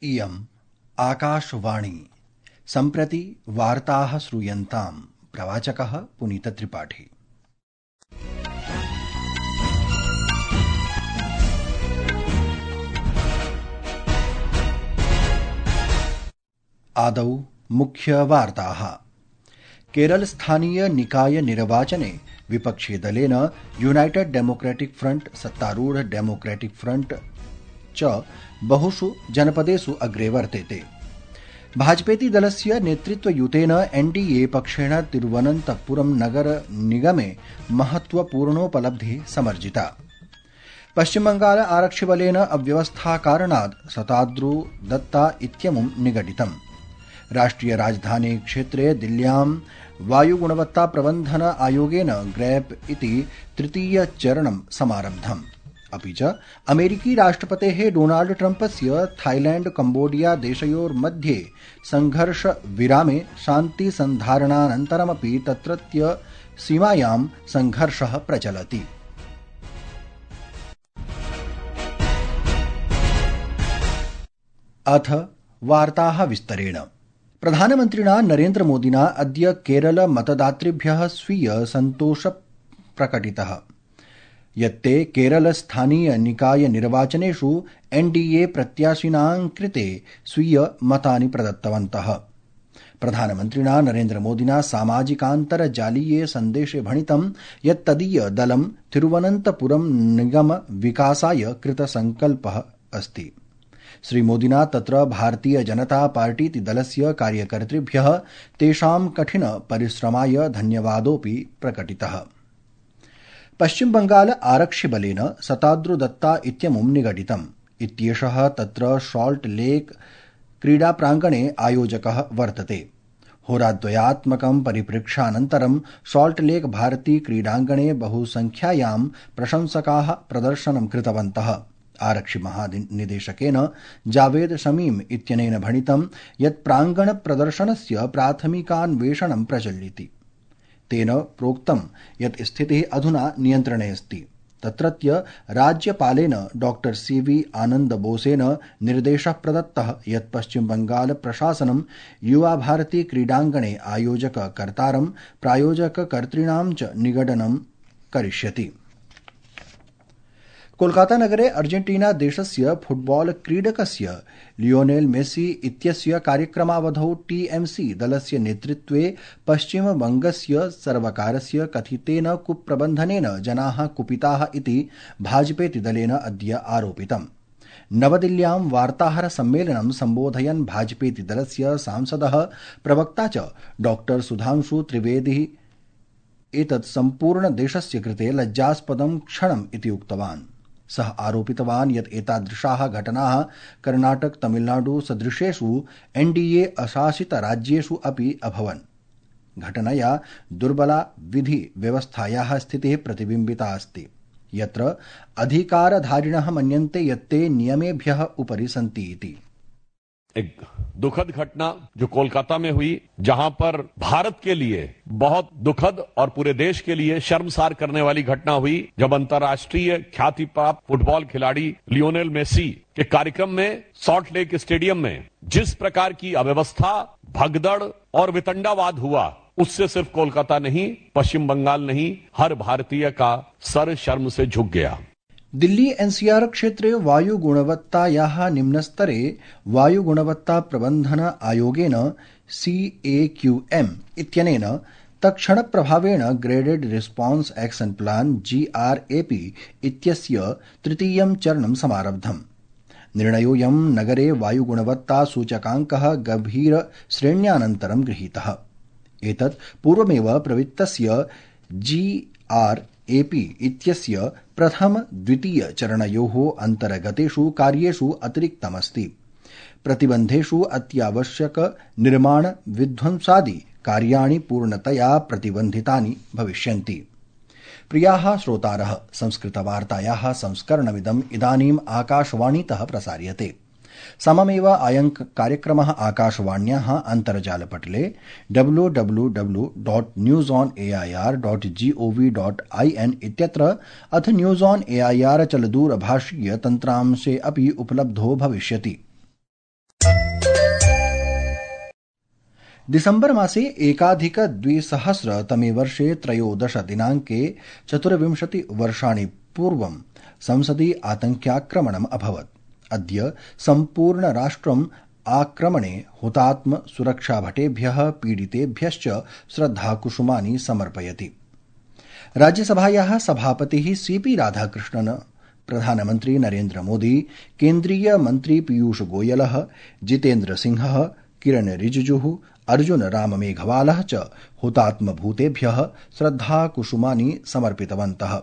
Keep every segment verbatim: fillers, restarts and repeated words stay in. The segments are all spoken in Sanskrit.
इयम् आकाशवाणी। सम्प्रति वार्ताः श्रूयन्ताम्। प्रवाचकः पुनीतत्रिपाठी। आदौ मुख्यवार्ताः। केरल स्थानीय निकाय निर्वाचने विपक्षी दलेन यूनाइटेड डेमोक्रेटिक फ्रंट, सत्तारूढ़ डेमोक्रेटिक फ्रंट च बहुषु जनपदेषु अग्रे वर्तेते। भाजपेति दलस्य नेतृत्वयुतेन एनडीए पक्षेण तिरुवनन्तपुरम नगर निगमे महत्वपूर्णोपलब्धिः समर्जिता। पश्चिमबंगाल आरक्षिबलेन अव्यवस्थाकारणात् शताद्रु दत्ता इत्यमुं निगडितम्। राष्ट्रिय राजधानी क्षेत्रे दिल्ल्यां वायुगुणवत्ता प्रबन्धन आयोगेन ग्रैप इति तृतीय चरणं समारब्धम्। अपि च अमेरिकी राष्ट्रपतेः डोनाल्ड ट्रम्पस्य थाईलैंड कम्बोडिया देशयोर्मध्ये संघर्ष विरामे शान्तिसन्धारणानन्तरमपि तत्रत्य सीमायां संघर्षः प्रचलति। अथ वार्ताः विस्तरेण। प्रधानमन्त्रिणा नरेन्द्रमोदिना अद्य केरल मतदातृभ्यः स्वीय सन्तोष प्रकटितः यत्ते केरल स्थानीय निकाय निर्वाचनेषु एनडीए प्रत्याशिनां कृते स्वीय मतानि प्रदत्तवन्तः। प्रधानमन्त्रिणा नरेन्द्रमोदिना सामाजिकान्तर्जालीये सन्देशे भणितं यत् तदीय दलं तिरुवनन्तपुरम निगम विकासाय कृतसंकल्पः अस्ति। श्रीमोदिना तत्र भारतीय जनता पार्टीति दलस्य कार्यकर्तृभ्यः तेषां कठिन परिश्रमाय धन्यवादोऽपि प्रकटितः। पश्चिम बंगाल आरक्षिबलेन शताद्रु दत्ता इत्यमुं निगडितम्। इत्येषः तत्र सॉल्ट लेक क्रीडाप्राङ्गणे आयोजकः वर्तते। होराद्वयात्मकं परिप्रेक्षानन्तरं सॉल्ट लेक भारती क्रीडाङ्गणे बहुसंख्यायां प्रशंसकाः प्रदर्शनं कृतवन्तः। आरक्षि महानिदेशकेन जावेद शमीम इत्यनेन भणितं यत् प्राङ्गण प्रदर्शनस्य प्राथमिकान्वेषणं प्रचलति। तेन प्रोक्तं यत् स्थितिः अधुना नियन्त्रणे अस्ति। तत्रत्य राज्यपालेन डॉक्टर सी वी आनन्द बोसेन निर्देशः प्रदत्तः यत् पश्चिम बंगाल प्रशासनं युवा भारती क्रीडाङ्गणे आयोजककर्तारं प्रायोजककर्तॄणां च निगडनं करिष्यति। कोलकाता नगरे अर्जेंटीना देशस्य फुटबॉल क्रीडकस्य लियोनेल मेसी इत्यस्य कार्यक्रमावधौ टीएमसी दलस्य नेतृत्वे पश्चिम बंगस्य सर्वकारस्य कथितेन कुप्रबन्धनेन जनाः कुपिताः इति भाजपेति दलेन अद्य आरोपितम्। नवदिल्ल्यां वार्ताहर सम्मेलनं सम्बोधयन् भाजपेति दलस्य सांसदः प्रवक्ता च डॉक्टर सुधांशु त्रिवेदी एतत् सम्पूर्ण देशस्य कृते लज्जास्पदं क्षणम् इति उक्तवान्। सः आरोपितवान् यत् एतादृशाः घटनाः कर्णाटक तमिलनाडु सदृशेषु एनडीए अशासित राज्येषु अपि अभवन्। घटनया दुर्बला विधि व्यवस्थायाः स्थितिः प्रतिबिम्बिता अस्ति, यत्र अधिकारधारिणः मन्यन्ते यत्ते नियमेभ्यः उपरि सन्ति इति। एक दुखद घटना जो कोलकाता में हुई, जहां पर भारत के लिए बहुत दुखद और पूरे देश के लिए शर्मसार करने वाली घटना हुई, जब अंतर्राष्ट्रीय ख्याति प्राप्त फुटबॉल खिलाड़ी लियोनेल मेसी के कार्यक्रम में सॉल्ट लेक स्टेडियम में जिस प्रकार की अव्यवस्था, भगदड़ और वितंडावाद हुआ, उससे सिर्फ कोलकाता नहीं, पश्चिम बंगाल नहीं, हर भारतीय का सर शर्म से झुक गया। दिल्ली एनसीआर क्षेत्रे वायुगुणवत्तायाः निम्नस्तरे वायुगुणवत्ता प्रबन्धन आयोगेन सीएक्यूएम इत्यनेन तत्क्षणप्रभावेण graded response action plan GRAP इत्यस्य तृतीयं चरणं समारब्धम्। निर्णयोऽयं नगरे वायुगुणवत्ता सूचकाङ्कः गभीर श्रेण्यानन्तरं गृहीतः। एतत् पूर्वमेव प्रवृत्तस्य जीआर एपी इत्यस्य प्रथम द्वितीय चरणयोः अन्तर्गतेषु कार्येषु अतिरिक्तमस्ति। प्रतिबन्धेषु अत्यावश्यक निर्माण विध्वंसादि कार्याणि पूर्णतया प्रतिबन्धितानि भविष्यन्ति। प्रियाः श्रोतारः, संस्कृतवार्तायाः संस्करणमिदम् इदानीम् आकाशवाणीतः प्रसार्यते। सममेव अयं कार्यक्रमः आकाशवाण्याः अन्तर्जालपटले W W W dot news on A I R dot GOV dot I N इत्यत्र अथ news on A I R चलदूरभाषीय तन्त्रांशे अपि उपलब्धो भविष्यति। दिसम्बर मासे एकाधिक द्विसहस्रतमे वर्षे त्रयोदश दिनाङ्के चतुर्विंशति वर्षाणि पूर्वं संसदि आतङ्क्याक्रमणम् अभवत्। अद्य सम्पूर्ण राष्ट्रम् आक्रमणे हुतात्म सुरक्षाभटेभ्यः पीडितेभ्यश्च श्रद्धाकुसुमानि समर्पयति। राज्यसभायाः सभापतिः सीपी राधाकृष्णन्, प्रधानमन्त्री नरेन्द्र मोदी, केन्द्रीय मन्त्री पीयूष गोयलः, जितेन्द्र सिंहः, किरण रिजिजुः, अर्जुन राम मेघवालः च हुतात्मभूतेभ्यः श्रद्धाकुसुमानि समर्पितवन्तः।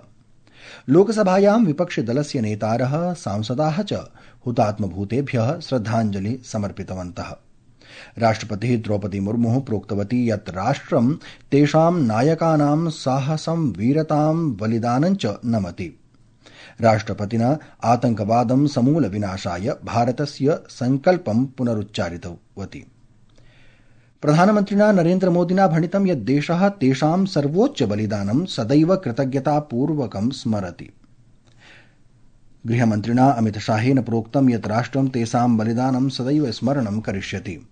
लोकसभायां विपक्षिदलस्य नेतारः, सांसदाः च हुतात्मभूतेभ्यः श्रद्धाञ्जलि समर्पितवन्तः। राष्ट्रपतिः द्रौपदी मुर्मुः प्रोक्तवती यत् राष्ट्रं तेषां नायकानां साहसं, वीरतां, बलिदानं च नमति। राष्ट्रपतिना आतङ्कवादं समूल विनाशाय भारतस्य संकल्पं पुनरुच्चारितवती। प्रधानमन्त्रिणा नरेन्द्र मोदिना भणितं यत् देशः तेषां सर्वोच्च बलिदानं सदैव कृतज्ञतापूर्वकं स्मरति। गृहमन्त्रिणा अमितशाहेन प्रोक्तं यत् राष्ट्रं तेषां बलिदानं सदैव स्मरणं करिष्यति।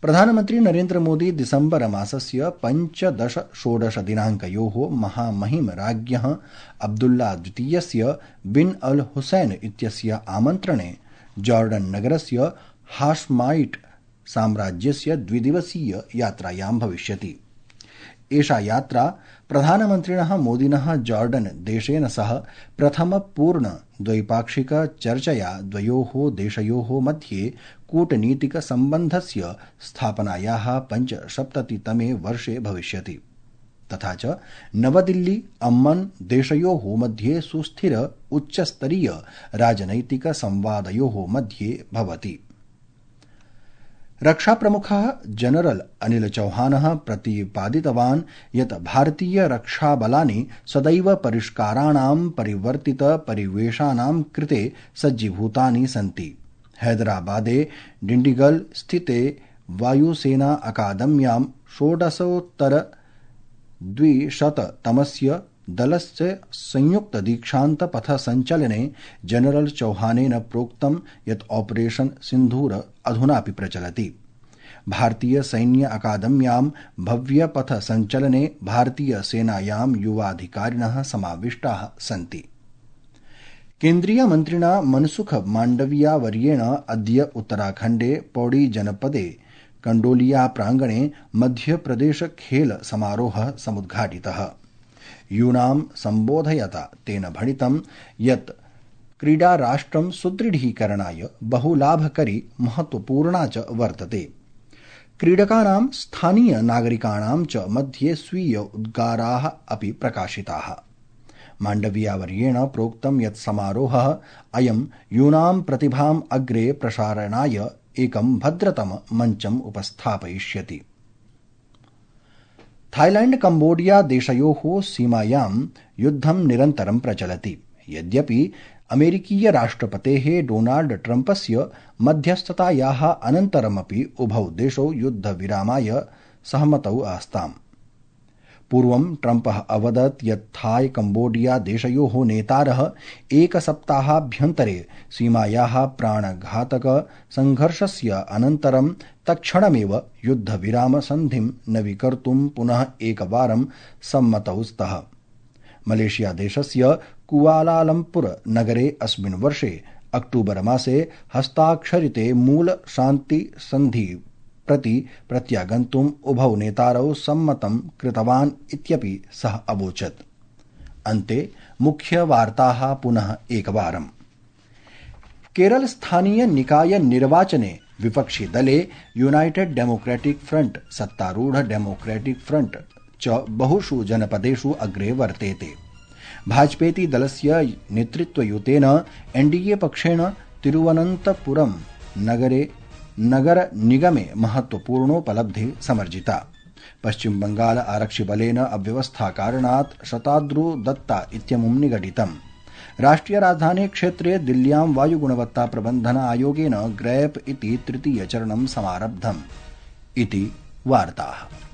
प्रधानमन्त्री नरेन्द्र मोदी दिसम्बर मासस्य पञ्चदश षोडश दिनाङ्कयोः महामहिम राज्ञः अब्दुल्ला द्वितीयस्य बिन अल हुसैन इत्यस्य आमन्त्रणे जॉर्डन नगरस्य हाशमाइट साम्राज्यस्य द्विदिवसीय यात्रायां भविष्यति। एषा यात्रा प्रधानमन्त्रिणः मोदिनः जॉर्डन देशेन सह प्रथम पूर्ण द्वैपाक्षिक चर्चया द्वयोः देशयोः मध्ये कूटनीतिक सम्बन्धस्य स्थापनायाः पञ्चसप्ततितमे वर्षे भविष्यति। तथा च नवदिल्ली अम्मन देशयोः मध्ये सुस्थिर उच्चस्तरीय राजनैतिक संवादयोः मध्ये भवति। रक्षाप्रमुखः जनरल अनिल चौहानः प्रतिपादितवान् यत् भारतीय रक्षाबलानि सदैव परिष्काराणां परिवर्तित परिवेशानां कृते सज्जीभूतानि सन्ति। हैदराबादे डिण्डिगल स्थिते वायुसेना अकादम्यां षोडशोत्तर द्विशततमस्य दलस्य संयुक्त दीक्षान्त पथ संचलने जनरल चौहानेन प्रोक्तं यत् ऑपरेशन सिन्धूर अधुनापि प्रचलति। भारतीय सैन्य अकादम्यां भव्य पथ संचलने भारतीय सेनायां युवाधिकारिणः समाविष्टाः सन्ति। केन्द्रीय मन्त्रिणा मनसुख माण्डविया वर्येण अद्य उत्तराखण्डे पौड़ी जनपदे कंडोलिया प्रांगणे मध्यप्रदेश खेल समारोहः समुद्घाटितः। यूनां सम्बोधयता तेन भणितं यत् क्रीडा राष्ट्रं सुदृढीकरणाय बहुलाभकरी महत्वपूर्णा च वर्तते। क्रीडकानां स्थानीय नागरिकाणां च मध्ये स्वीय उद्गाराः अपि प्रकाशिताः। माण्डवियावर्येण प्रोक्तं यत् समारोहः अयं यूनां प्रतिभाम् अग्रे प्रसारणाय एकं भद्रतम मञ्चम् उपस्थापयिष्यति। थाईलैंड कंबोडिया देशयोः सीमायां युद्धं निरन्तरं प्रचलति। यद्यपि अमेरिकीय राष्ट्रपतेः डोनाल्ड ट्रम्पस्य मध्यस्थतायाः अनन्तरमपि उभौ देशौ युद्धविरामाय सहमतौ आस्ताम्। पूर्वं ट्रम्पः अवदत् यत् थाई कंबोडिया देशयोः नेतारः एकसप्ताहाभ्यन्तरे सीमायाः प्राणघातक संघर्षस्य अनन्तरं तत्क्षणमेव युद्धविराम सन्धिं नवीकर्तुं पुनः एकवारं सम्मतौ स्तः। मलेशिया देशस्य कुआलालम्पुर नगरे अस्मिन् वर्षे अक्टूबर मासे हस्ताक्षरिते मूल शान्ति सन्धि प्रति प्रत्यागन्तुम् उभौ नेतारौ सम्मतं कृतवान् इत्यपि सः अवोचत्। अन्ते मुख्यवार्ताः पुनः एकवारम्। केरल स्थानीय निकाय निर्वाचने विपक्षी दले यूनाइटेड डेमोक्रेटिक फ्रंट, सत्तारूढ़ डेमोक्रेटिक फ्रंट च बहुषु जनपदेषु अग्रे वर्तेते। भाजपेति दलस्य नेतृत्वयुतेन एनडीए पक्षेण तिरुवनन्तपुरम नगरे नगर निगमे महत्वपूर्णोपलब्धि समर्जिता। पश्चिम बंगाल आरक्षिबलेन अव्यवस्था कारणात् शताद्रु दत्ता इत्यमुं निगडितम्। राष्ट्रिय राजधानी क्षेत्रे दिल्ल्यां वायुगुणवत्ता प्रबन्धन आयोगेन ग्रैप इति तृतीय चरणं समारब्धम्। इति वार्ताः।